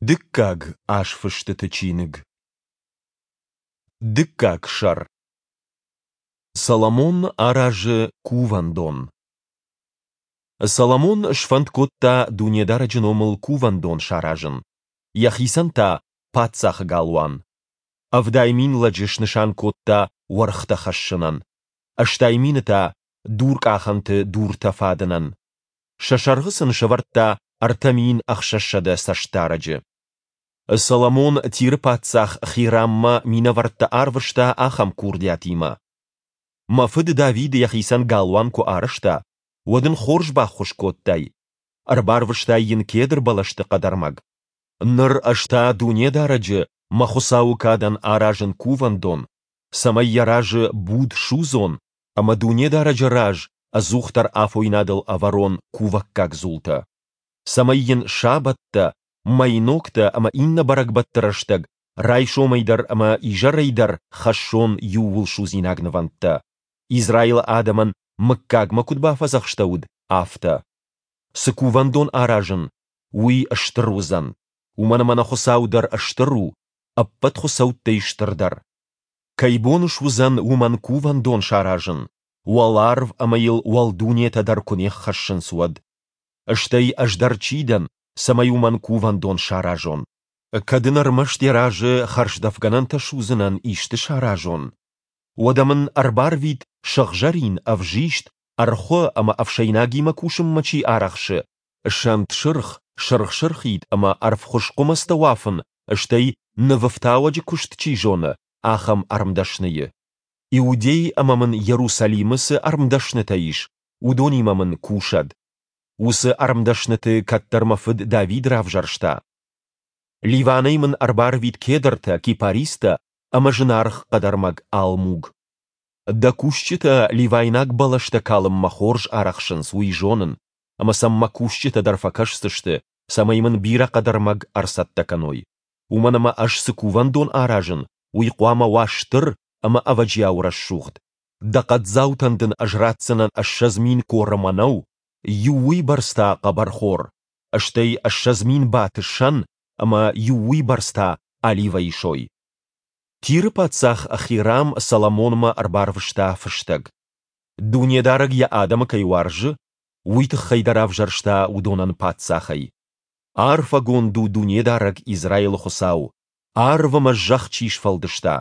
Дыккаг азфыстыты чиныг. Дыккаг сӕр. Соломон аразы кувӕндон. Соломон сфӕнд кодта Дунедарӕджы номыл кувӕндон саразын, йӕхицӕн та паддзахы галуан. 70 000 лӕджы снысан кодта уӕргътӕ хӕссынӕн, 80 000 та дуркъахӕнты дуртӕ фадынӕн. Сӕ сӕргъы сын сӕвӕрдта 3600 цӕстдарӕджы. Соломон Тиры паддзах Хираммӕ минӕвӕрттӕ арвыста ахӕм курдиатимӕ: Мӕ фыд Давид йӕхицӕн галуан куы арӕзта, уӕд ын хорз баххуыс кодтай, ӕрбарвыстай йын кедр бӕлӕсты хъӕдӕрмӕг. Ныр ӕз та Дунедарӕджы, мӕ Хуыцауы кадӕн аразын кувӕндон, цӕмӕй йӕ разы буд судзон ӕмӕ Дунедарӕджы раз ӕдзухдӕр афойнадыл ӕвӕрон кувӕггаг дзултӕ, цӕмӕй йын сабӕттӕ, мӕйногтӕ ӕмӕ иннӕ бӕрӕгбӕтты рӕстӕг райсомӕй дӕр ӕмӕ изӕрӕй дӕр хӕссон иууылсудзинаг нывӕндтӕ, Израилы адӕмӕн мыггагмӕ куыд бафӕдзӕхстӕуыд, афтӕ. Цы кувӕндон аразын, уый стыр уыдзӕн, уымӕн ӕмӕ нӕ Хуыцау дӕр стыр у, ӕппӕт хуыцӕуттӕй стырдӕр. Кӕй бон суыдзӕн уымӕн кувӕндон саразын, уӕларв ӕмӕ йыл уӕлдунетӕ дӕр куы не ххӕссынц, уӕд? Стӕй ӕз дӕр чи дӕн, цӕмӕй уымӕн кувӕндон саразон? Кӕд ын ӕрмӕст йӕ разы хӕрздӕфгӕнӕнтӕ судзынӕн исты саразон? Уӕдӕ мын ӕрбарвит сыгъзӕрин, ӕвзист, ӕрхуы ӕмӕ ӕфсӕйнагимӕ кусынмӕ чи арӕхсы, сӕнт сырх, сырх-сырхид ӕмӕ ӕрвхуыз хъуымӕцтӕ уафын, стӕй нывӕфтауӕджы куыст чи зоны, ахӕм ӕрмдӕсныйы. Иудей ӕмӕ мын Иерусалимы цы ӕрмдӕснытӕ ис, уыдонимӕ мын кусӕд. Уыцы ӕрмдӕсныты кӕддӕр мӕ фыд Давид равзӕрста. Ливанӕй мын ӕрбарвит кедртӕ, кипаристӕ ӕмӕ зынаргъ хъӕдӕрмӕг алмуг. Дӕ кусджытӕ ливайнаг бӕлӕстӕ калынмӕ хорз арӕхсынц, уый зонын, ӕмӕ сӕм мӕ кусджытӕ дӕр фӕкӕсдзысты, цӕмӕй мын бирӕ хъӕдӕрмӕг ӕрцӕттӕ кӕной. Уымӕн ӕмӕ ӕз цы кувӕндон аразын, уый хъуамӕ уа стыр ӕмӕ ӕвӕджиау рӕсугъд. Дӕ хъӕддзаутӕн дын ӕз ратдзынӕн 20 000 коры мӕнӕу, иу уыйбӕрц та хъӕбӕрхор, стӕй 20 000 баты сӕн ӕмӕ иу уыйбӕрц та оливӕйы сой. Тиры паддзах Хирам Соломонмӕ ӕрбарвыста фыстӕг. Дунедарӕг йӕ адӕмы кӕй уарзы, уый тыххӕй дӕ равзӕрста уыдонӕн паддзахӕй. Арфӕгонд у Дунедарӕг Израилы Хуыцау, арв ӕмӕ зӕхх чи сфӕлдыста,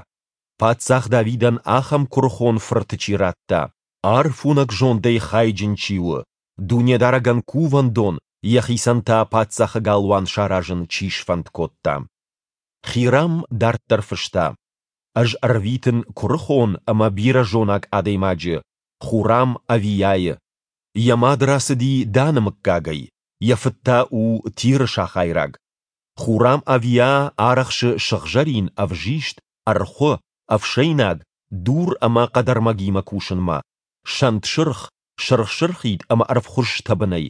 паддзах Давидӕн ахӕм куырыхон фырты чи радта, арфуынӕг зондӕй хайджын чи у, Дунедарӕгӕн кувӕндон, йӕхицӕн та паддзахы галуан саразын чи сфӕнд кодта. Хирам дарддӕр фыста: Ӕз ӕрвитын куырыхон ӕмӕ бирӕзонаг адӕймаджы, Хурам Авийайы. Йӕ мад рацыди Даны мыггагӕй, йӕ фыд та у Тиры сахайраг. Хурам Авиа арӕхсы сыгъзӕрин, ӕвзист, ӕрхуы, ӕфсӕйнаг, дур ӕмӕ хъӕдӕрмӕгимӕ кусынмӕ, сӕнт сырх, сырх-сырхид ӕмӕ ӕрвхуыз тӕбынӕй,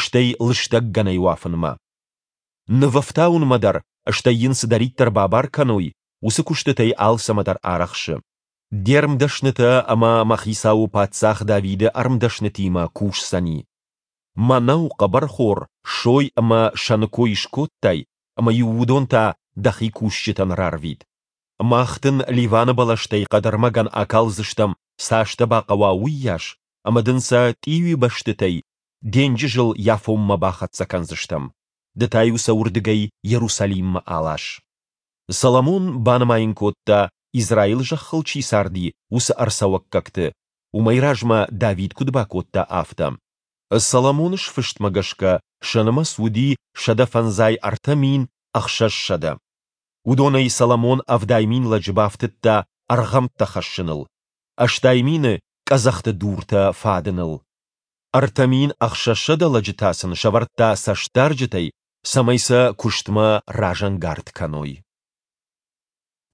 стӕй лыстӕг гӕнӕй уафынмӕ. Нывӕфтауынмӕ дӕр, стӕй йын цыдӕриддӕр бабар кӕной, уыцы куыстытӕй алцӕмӕ дӕр арӕхсы. Де рмдӕснытӕ ӕмӕ мӕ хицауы паддзах Давиды ӕрмдӕснытимӕ кусдзӕни. Мӕнӕу, хъӕбӕрхор, сой ӕмӕ сӕны кой скодтай, ӕмӕ-иу уыдон та дӕхи кусджытӕн рарвит. Мах дын Ливаны бӕлӕстӕй хъӕдӕрмӕгӕн акалдзыстӕм, цас дӕ бахъӕуа, уыйас, ӕмӕ дын сӕ тъиуибӕстытӕй денджызыл Яфонмӕ бахӕццӕ кӕндзыстӕм, ды та-иу сӕ уырдыгӕй Иерусалиммӕ алас. Соломон банымайын кодта, Израилы зӕххыл чи царди, уыцы ӕрцӕуӕггӕгты, уымӕй размӕ Давид куыд бакодта, афтӕ. Соломоны сфыстмӕ гӕсгӕ сӕ нымӕц уыди 153 600. Уыдонӕй Соломон 70 000 лӕджы бафтыдта ӕргъӕмттӕ хӕссыныл, 80 000 къӕдзӕхты дуртӕ фадыныл. 3600 лӕджы та сын сӕвӕрдта цӕстдарджытӕй, цӕмӕй сӕ куыстмӕ разӕнгард кӕной.